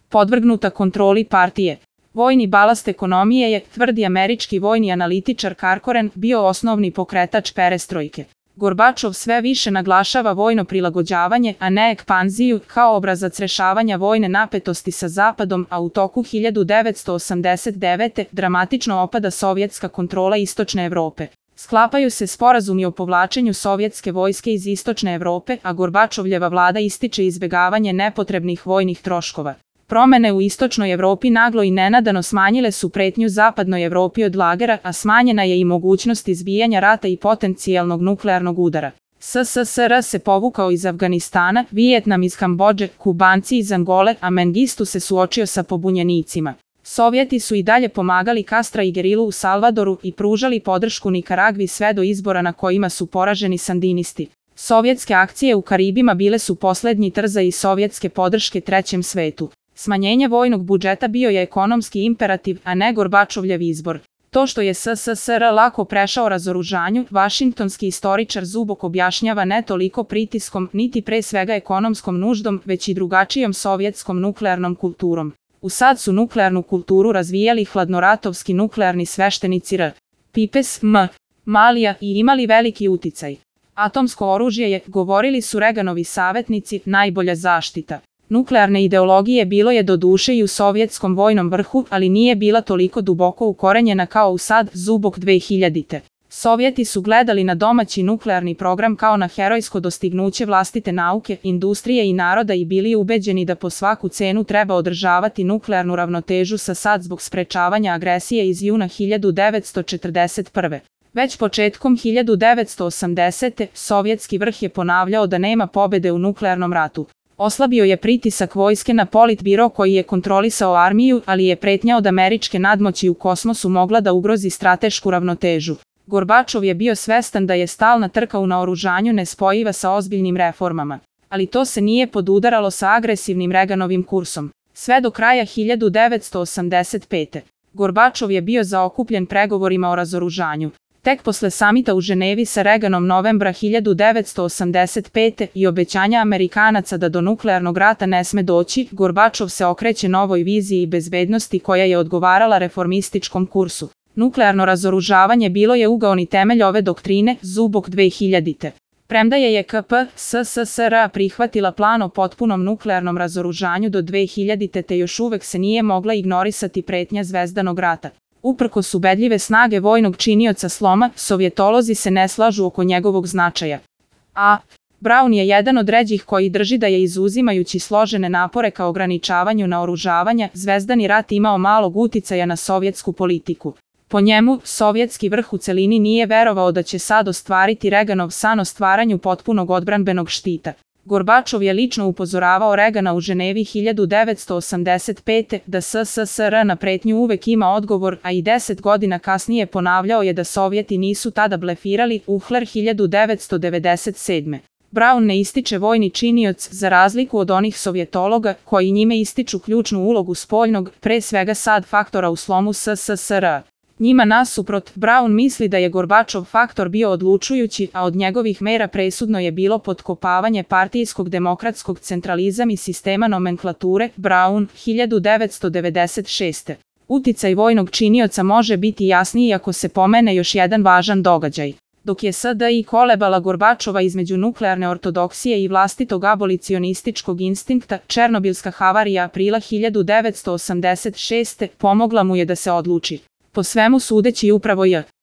podvrgnuta kontroli partije. Vojni balast ekonomije je, tvrdi američki vojni analitičar Karkoren, bio osnovni pokretač perestrojke. Gorbačov sve više naglašava vojno prilagođavanje, a ne ekspanziju, kao obrazac rešavanja vojne napetosti sa Zapadom, a u toku 1989. dramatično opada sovjetska kontrola Istočne Evrope. Sklapaju se sporazumi o povlačenju sovjetske vojske iz Istočne Evrope, a Gorbačovljeva vlada ističe izbegavanje nepotrebnih vojnih troškova. Promene u Istočnoj Evropi naglo i nenadano smanjile su pretnju Zapadnoj Evropi od lagera, a smanjena je i mogućnost izbijanja rata i potencijalnog nuklearnog udara. SSSR se povukao iz Afganistana, Vijetnam iz Kambodže, Kubanci iz Angole, a Mengistu se suočio sa pobunjenicima. Sovjeti su i dalje pomagali Castra i gerilu u Salvadoru i pružali podršku Nikaragvi sve do izbora na kojima su poraženi sandinisti. Sovjetske akcije u Karibima bile su poslednji trzaji sovjetske podrške trećem svetu. Smanjenje vojnog budžeta bio je ekonomski imperativ, a ne Gorbačovljev izbor. To što je SSSR lako prešao razoružanju, vašingtonski istoričar Zubok objašnjava ne toliko pritiskom, niti pre svega ekonomskom nuždom, već i drugačijom sovjetskom nuklearnom kulturom. U SAD su nuklearnu kulturu razvijali hladnoratovski nuklearni sveštenici R. Pipes, M. Malija i imali veliki uticaj. Atomsko oružje je, govorili su Reganovi savetnici, najbolja zaštita. Nuklearne ideologije bilo je doduše i u sovjetskom vojnom vrhu, ali nije bila toliko duboko ukorenjena kao u SAD, Zubok 2000. Sovjeti su gledali na domaći nuklearni program kao na herojsko dostignuće vlastite nauke, industrije i naroda i bili ubeđeni da po svaku cenu treba održavati nuklearnu ravnotežu sa SAD zbog sprečavanja agresije iz juna 1941. Već početkom 1980. sovjetski vrh je ponavljao da nema pobede u nuklearnom ratu. Oslabio je pritisak vojske na Politbiro koji je kontrolisao armiju, ali je pretnja od američke nadmoći u kosmosu mogla da ugrozi stratešku ravnotežu. Gorbačov je bio svestan da je stalna trka u naoružanju nespojiva sa ozbiljnim reformama. Ali to se nije podudaralo sa agresivnim Reganovim kursom. Sve do kraja 1985. Gorbačov je bio zaokupljen pregovorima o razoružanju. Tek posle samita u Ženevi sa Reganom novembra 1985. i obećanja Amerikanaca da do nuklearnog rata ne sme doći, Gorbačov se okreće novoj viziji bezbednosti koja je odgovarala reformističkom kursu. Nuklearno razoružavanje bilo je ugaoni temelj ove doktrine, Zubok 2000. Premda je KP SSSR prihvatila plan o potpunom nuklearnom razoružanju do 2000. te još uvek se nije mogla ignorisati pretnja Zvezdanog rata. Uprkos ubedljive snage vojnog činioca sloma, sovjetolozi se ne slažu oko njegovog značaja. A. Brown je jedan od ređih koji drži da je izuzimajući složene napore ka ograničavanju naoružavanja, Zvezdani rat imao malog uticaja na sovjetsku politiku. Po njemu, sovjetski vrh u celini nije verovao da će SAD ostvariti Reganov san o stvaranju potpunog odbranbenog štita. Gorbačov je lično upozoravao Regana u Ženevi 1985. da SSSR na pretnju uvek ima odgovor, a i 10 godina kasnije ponavljao je da Sovjeti nisu tada blefirali, Uhler 1997. Brown ne ističe vojni činioc za razliku od onih sovjetologa koji njime ističu ključnu ulogu spoljnog, pre svega SAD faktora u slomu SSSR. Njima nasuprot, Brown misli da je Gorbačov faktor bio odlučujući, a od njegovih mera presudno je bilo potkopavanje partijskog demokratskog centralizam i sistema nomenklature, Brown, 1996. Uticaj vojnog činioca može biti jasniji ako se pomene još jedan važan događaj. Dok je SDI kolebala Gorbačova između nuklearne ortodoksije i vlastitog abolicionističkog instinkta, Černobilska havarija aprila 1986. pomogla mu je da se odluči. Po svemu sudeći upravo J.